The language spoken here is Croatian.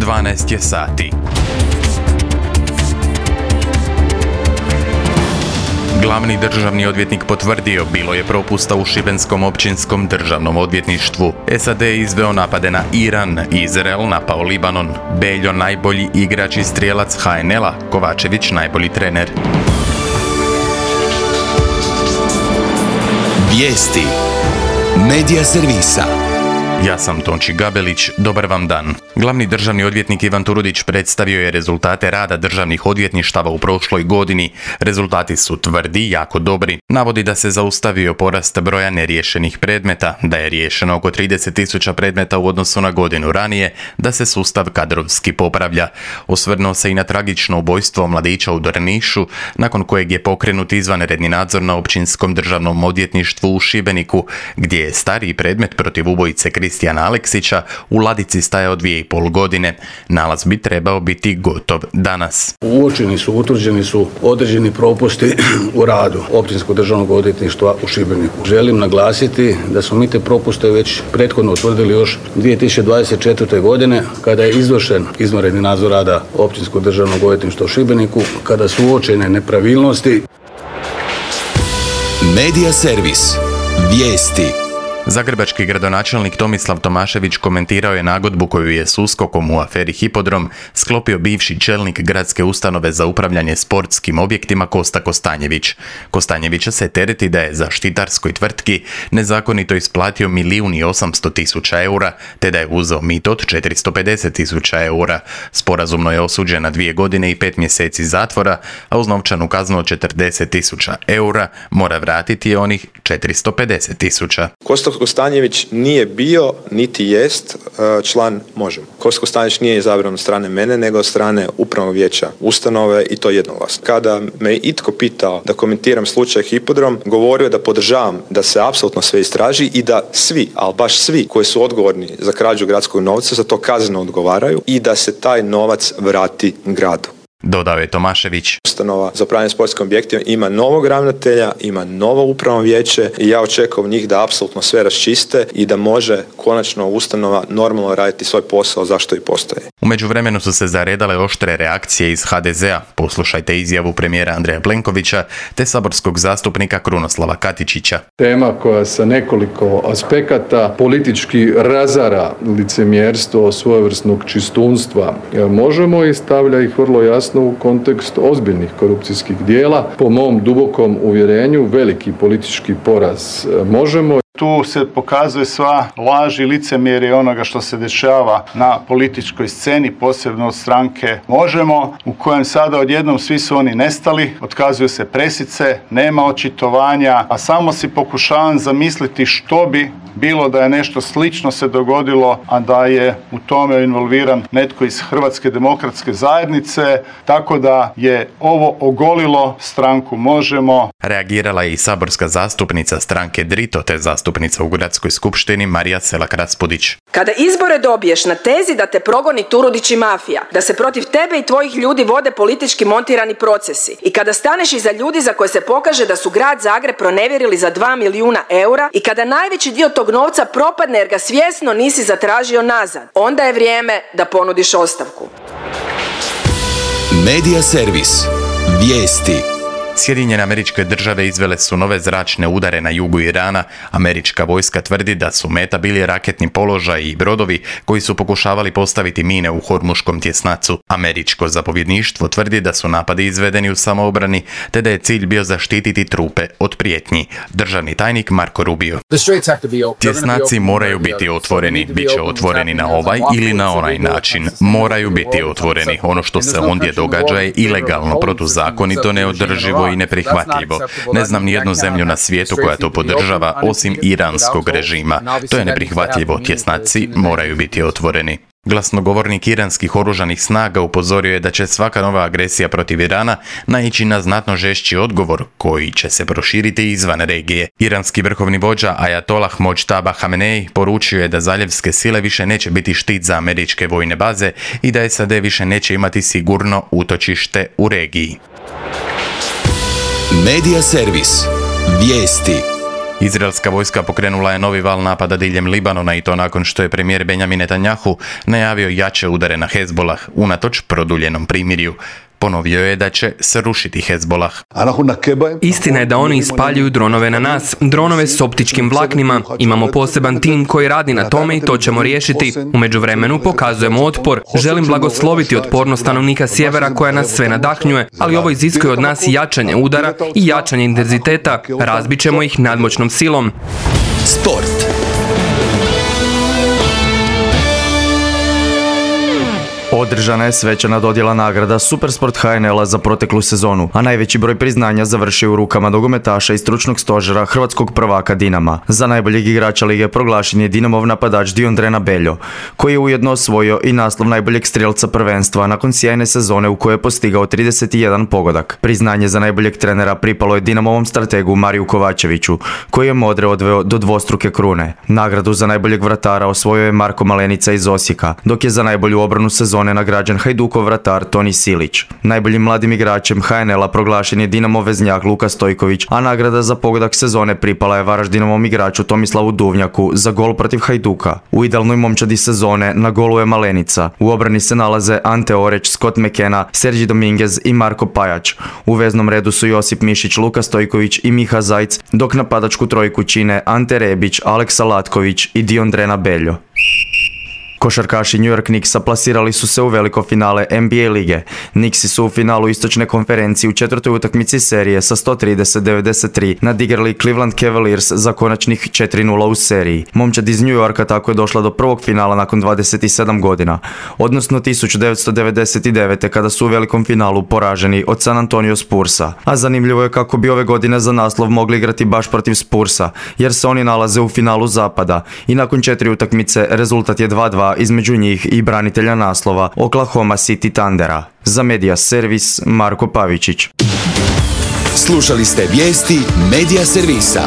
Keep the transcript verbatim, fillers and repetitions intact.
dvanaest je sati. Glavni državni odvjetnik potvrdio bilo je propusta u Šibenskom općinskom državnom odvjetništvu. S A D je izveo napade na Iran, Izrael napao Libanon, Beljo najbolji igrač i strijelac H N L-a, Kovačević najbolji trener. Vijesti Medija servisa. Ja sam Tonči Gabelić, dobar vam dan. Glavni državni odvjetnik Ivan Turudić predstavio je rezultate rada državnih odvjetništava u prošloj godini. Rezultati su tvrdi, jako dobri. Navodi da se zaustavio porast broja neriješenih predmeta, da je riješeno oko trideset tisuća predmeta u odnosu na godinu ranije, da se sustav kadrovski popravlja. Osvrnuo se i na tragično ubojstvo mladića u Drnišu, nakon kojeg je pokrenut izvanredni nadzor na općinskom državnom odvjetništvu u Šibeniku, gdje je stariji predmet protiv ubojice Kristijana Aleksića u ladici stajao dvije i pol godine. Nalaz bi trebao biti gotov danas. Uočeni su, utvrđeni su određeni propusti u radu Općinskog državnog odvjetništva u Šibeniku. Želim naglasiti da smo mi te propuste već prethodno utvrdili još dvije tisuće dvadeset četvrte. godine kada je izvršen izvanredni nadzor rada Općinskog državnog odvjetništva u Šibeniku, kada su uočene nepravilnosti. Medija servis. Vijesti. Zagrebački gradonačelnik Tomislav Tomašević komentirao je nagodbu koju je s USKOK-om u aferi Hipodrom sklopio bivši čelnik gradske ustanove za upravljanje sportskim objektima Kosta Kostanjević. Kostanjevića se tereti da je zaštitarskoj tvrtki nezakonito isplatio milijun i osamsto tisuća eura, te da je uzeo mito od četiristo pedeset tisuća eura. Sporazumno je osuđen na dvije godine i pet mjeseci zatvora, a uz novčanu kaznu od četrdeset tisuća eura mora vratiti je onih četiristo pedeset tisuća. Kosta Kostanjević nije bio, niti jest član Možemo. Kosta Kostanjević nije izabran od strane mene, nego od strane upravnog vijeća ustanove i to jednoglasno. Kada me itko pitao da komentiram slučaj Hipodrom, govorio da podržavam da se apsolutno sve istraži i da svi, ali baš svi koji su odgovorni za krađu gradskog novca za to kazneno odgovaraju i da se taj novac vrati gradu. Dodao je Tomašević. Ustanova za upravljanje sportskim objektima ima novog ravnatelja, ima novo upravno vijeće i ja očekujem njih da apsolutno sve raščiste i da može konačno ustanova normalno raditi svoj posao zašto i postoji. U međuvremenu su se zaredale oštre reakcije iz H D Z-a. Poslušajte izjavu premijera Andreja Plenkovića te saborskog zastupnika Krunoslava Katičića. Tema koja sa nekoliko aspekata politički razara licemjerstvo svojevrsnog čistunstva Možemo i stavlja ih vrlo jasno u kontekst ozbiljnih korupcijskih dijela. Po mom dubokom uvjerenju veliki politički poraz Možemo. Tu se pokazuje sva laž i licemjerje onoga što se dešava na političkoj sceni, posebno od stranke Možemo, u kojem sada odjednom svi su oni nestali, otkazuju se presice, nema očitovanja, a samo si pokušavam zamisliti što bi bilo da je nešto slično se dogodilo, a da je u tome involviran netko iz Hrvatske demokratske zajednice, tako da je ovo ogolilo stranku Možemo. Reagirala je i saborska zastupnica stranke Drito te zastupnica u Gradskoj skupštini Marija Selak-Raspudić. Kada izbore dobiješ na tezi da te progoni Turudić i mafija, da se protiv tebe i tvojih ljudi vode politički montirani procesi i kada staneš iza ljudi za koje se pokaže da su grad Zagreb pronevjerili za dva milijuna eura i kada najveći dio tog novca propadne jer ga svjesno nisi zatražio nazad, onda je vrijeme da ponudiš ostavku. Medija servis. Vijesti. Sjedinjene Američke Države izvele su nove zračne udare na jugu Irana. Američka vojska tvrdi da su meta bili raketni položaj i brodovi koji su pokušavali postaviti mine u Hormuškom tjesnacu. Američko zapovjedništvo tvrdi da su napadi izvedeni u samoobrani te da je cilj bio zaštititi trupe od prijetnji. Državni tajnik Marko Rubio. Tjesnaci moraju biti otvoreni. Biće otvoreni na ovaj ili na onaj način. Moraju biti otvoreni. Ono što se ondje događa je ilegalno, protuzakonito, neodrživo i neprihvatljivo. Ne znam ni jednu zemlju na svijetu koja to podržava osim iranskog režima. To je neprihvatljivo. Tjesnaci moraju biti otvoreni. Glasnogovornik iranskih oružanih snaga upozorio je da će svaka nova agresija protiv Irana naići na znatno žešći odgovor koji će se proširiti izvan regije. Iranski vrhovni vođa Ajatolah Mojtaba Hamenei poručio je da zaljevske sile više neće biti štit za američke vojne baze i da S A D više neće imati sigurno utočište u regiji. Medija servis. Vijesti. Izraelska vojska pokrenula je novi val napada diljem Libanona i to nakon što je premijer Benjamin Netanjahu najavio jače udare na Hezbolah unatoč produljenom primirju. Ponovio je da će srušiti Hezbolah. Istina je da oni ispaljuju dronove na nas, dronove s optičkim vlaknima. Imamo poseban tim koji radi na tome i to ćemo riješiti. U međuvremenu pokazujemo otpor. Želim blagosloviti otpornost stanovnika sjevera koja nas sve nadahnjuje, ali ovo iziskuje od nas jačanje udara i jačanje intenziteta. Razbit ćemo ih nadmoćnom silom. Sport. Održana je svečana dodjela nagrada Supersport H N L-a za proteklu sezonu, a najveći broj priznanja završio u rukama nogometaša i stručnog stožera hrvatskog prvaka Dinama. Za najboljeg igrača lige proglašen je Dinamov napadač Diondrena Beljo, koji je ujedno osvojio i naslov najboljeg strijelca prvenstva nakon sjajne sezone u kojoj je postigao trideset jedan pogodak. Priznanje za najboljeg trenera pripalo je Dinamovom strategu Mariju Kovačeviću, koji je Modre odveo do dvostruke krune. Nagradu za najboljeg vratara osvojio je Marko Malenica iz Osijeka, dok je za najbolju obranu sezone nagrađen Hajdukov vratar Toni Silić. Najboljim mladim igračem H N L-a proglašen je Dinamov veznjak Luka Stojković, a nagrada za pogodak sezone pripala je Varaždinovom igraču Tomislavu Duvnjaku za gol protiv Hajduka. U idealnoj momčadi sezone na golu je Malenica. U obrani se nalaze Ante Oreć, Scott McKenna, Sergi Dominguez i Marko Pajač. U veznom redu su Josip Mišić, Luka Stojković i Miha Zajc, dok napadačku trojku čine Ante Rebić, Aleksa Latković i Diondrena Beljo. Košarkaši New York Knicksa plasirali su se u veliko finale N B A lige. Knicksi su u finalu istočne konferencije u četvrtoj utakmici serije sa sto trideset devedeset tri nadigrali Cleveland Cavaliers za konačnih četiri nula u seriji. Momčad iz New Yorka tako je došla do prvog finala nakon dvadeset sedam godina, odnosno tisuću devetsto devedeset devete kada su u velikom finalu poraženi od San Antonio Spursa. A zanimljivo je kako bi ove godine za naslov mogli igrati baš protiv Spursa, jer se oni nalaze u finalu zapada i nakon četiri utakmice rezultat je dva dva između njih i branitelja naslova Oklahoma City Thundera. Za Media Servis Marko Pavičić. Slušali ste vijesti Media Servisa.